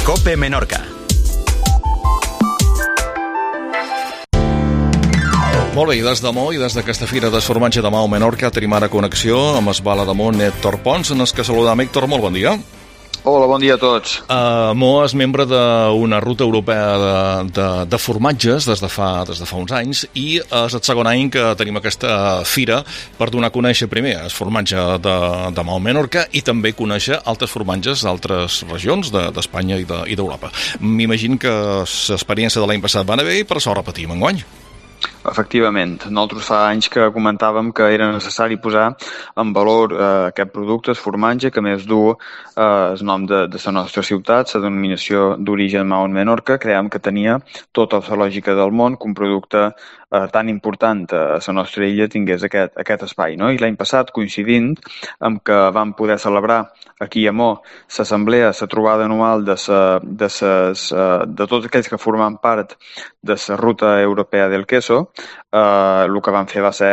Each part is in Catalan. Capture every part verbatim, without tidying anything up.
COPE Menorca. Molt bé, i des de Mo i des d'aquesta fira de formatge de Maó Menorca tenim ara connexió amb Esbala de Mo, Héctor Pons, en els que saludam. Héctor, molt bon dia. Hola, bon dia a tots. Uh, Mo és membre d'una ruta europea de, de, de formatges des de, fa, des de fa uns anys i és el segon any que tenim aquesta fira per donar a conèixer primer el formatge de, de Maó Menorca i també conèixer altres formatges d'altres regions d'Espanya de, i d'Europa. M'imagino que l'experiència de l'any passat va anar bé i per això repetim enguany. Efectivament. Nosaltres fa anys que comentàvem que era necessari posar en valor eh, aquest producte, el formatge, que més du eh, el nom de, de la nostra ciutat, la denominació d'origen Maó Menorca. Creiem que tenia tota la lògica del món que un producte eh, tan important a la nostra illa tingués aquest, aquest espai, no? I l'any passat, coincidint amb que vam poder celebrar aquí a Mo l'assemblea, la trobada anual de, sa, de, ses, uh, de tots aquells que formen part de la ruta europea del queso, uh, el que vam fer va ser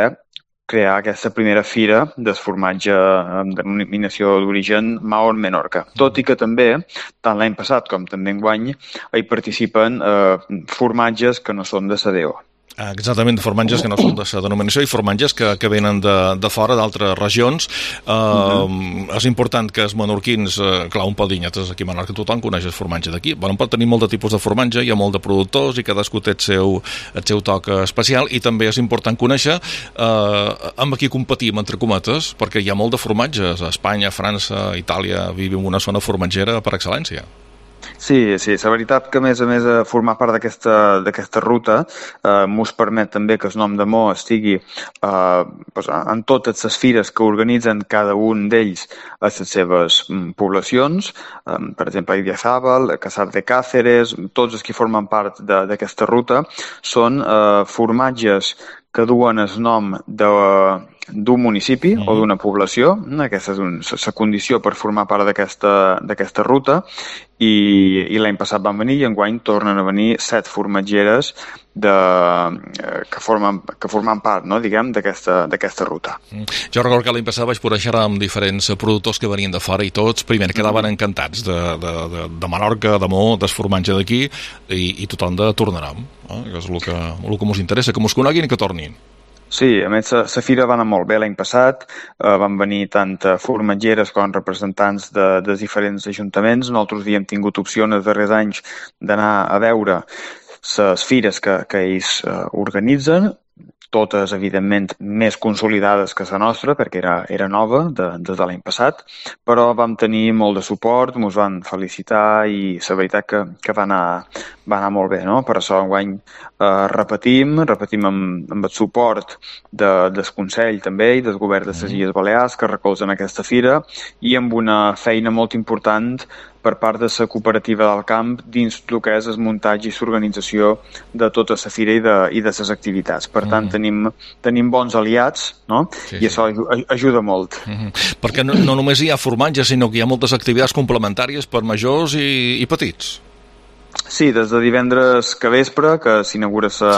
crear aquesta primera fira del formatge amb denominació d'origen Maó Menorca. Tot i que també, tant l'any passat com també enguany, hi participen uh, formatges que no són de la D O. Exactament, formatges que no són de la denominació i formatges que, que venen de, de fora, d'altres regions. Uh, uh-huh. És important que els menorquins, uh, clar, un pot dir, nosaltres aquí a Menorca tothom coneix el formatge d'aquí. Bueno, pot tenir molt de tipus de formatge, hi ha molt de productors i cadascú té el seu, el seu toc especial i també és important conèixer uh, amb qui competim, entre cometes, perquè hi ha molt de formatges. A Espanya, a França, a Itàlia, vivim una zona formatgera per excel·lència. Sí, sí, la veritat que a més a més a formar part d'aquesta d'aquesta ruta eh, mos permet també que el nom de Mo estigui eh, pues, en totes les fires que organitzen cada un d'ells a les seves mm, poblacions, eh, per exemple, a Idiazábal, a Caçar de Càceres, tots els que formen part d'aquesta ruta són eh, formatges que duen el nom de, d'un municipi mm. o d'una població. Aquesta és la condició per formar part d'aquesta ruta i, i l'any passat van venir i enguany tornen a venir set formatgeres de, que, formen, que formen part, no, diguem, d'aquesta ruta. Mm. Jo recordo que l'any passat vaig poder xerrar amb diferents productors que venien de fora i tots, primer, quedaven mm. encantats de, de, de, de Menorca, de Mo, del formatge d'aquí i, i tothom de tornarem. Eh? Que és el que, el que ens interessa, que ens coneguin i que tornin. Sí, a més, la fira va anar molt bé l'any passat, eh, van venir tant formatgeres com representants de, de diferents ajuntaments. Nosaltres havíem tingut opció en els darrers anys d'anar a veure les fires que, que ells eh, organitzen, totes, evidentment, més consolidades que la nostra, perquè era, era nova de, des de l'any passat, però vam tenir molt de suport, ens van felicitar i la veritat que, que va, anar, va anar molt bé, no? Per això enguany eh, repetim, repetim amb, amb el suport de, del Consell també i del Govern de les Illes Balears que recolzen aquesta fira i amb una feina molt important per part de la cooperativa del camp dins el que és el muntatge i l'organització de tota la fira i de, i de les activitats. Per tant, mm. tenim, tenim bons aliats, no? Sí, i això sí. ajuda molt. Mm-hmm. Perquè no, no només hi ha formatge, sinó que hi ha moltes activitats complementàries per majors i, i petits. Sí, des de divendres que vespre, que s'inaugura la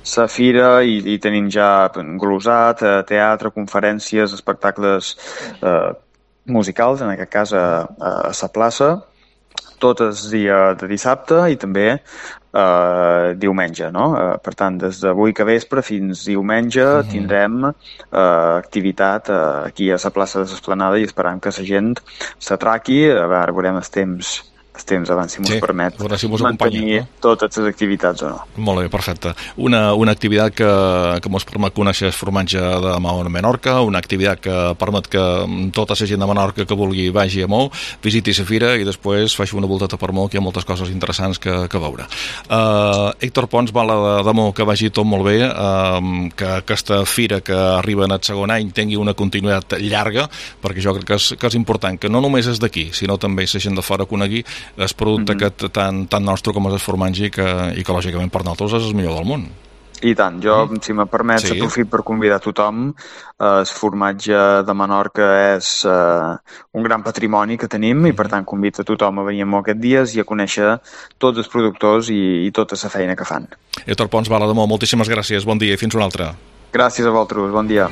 sí. fira i, i tenim ja glosat, teatre, conferències, espectacles eh, musicals, en aquest cas a, a, a la plaça, tot el dia de dissabte i també eh, diumenge, no? Eh, per tant, des d'avui que vespre fins diumenge mm-hmm. tindrem eh, activitat eh, aquí a la plaça de l'Esplanada i esperam que la gent s'atraqui, a veure, veurem els temps el temps abans, si mos sí, permet si mos mantenir no? totes les activitats o no. Molt bé, perfecte. Una, una activitat que, que mos permet conèixer el formatge de Maó Menorca, una activitat que permet que tota la gent de Menorca que vulgui vagi a Mo, visiti la fira i després faci una volteta per Mo, que hi ha moltes coses interessants que, que veure. Uh, Héctor Pons, Bala de, de Mo, que vagi tot molt bé, uh, que aquesta fira que arriba en el segon any tingui una continuïtat llarga, perquè jo crec que és, que és important que no només és d'aquí, sinó també la gent de fora conegui el producte mm-hmm. que tant, tant nostre com és el formatge i que, i que lògicament per nosaltres és el millor del món. I tant, jo, mm. si me permets, sí. aprofit per convidar tothom. El formatge de Menorca és uh, un gran patrimoni que tenim mm. i, per tant, convido a tothom a venir a Mo aquests dies i a conèixer tots els productors i, i tota la feina que fan. Héctor Pons, Bala de Mo, moltíssimes gràcies, bon dia i fins una altra. Gràcies a vosaltres, bon dia.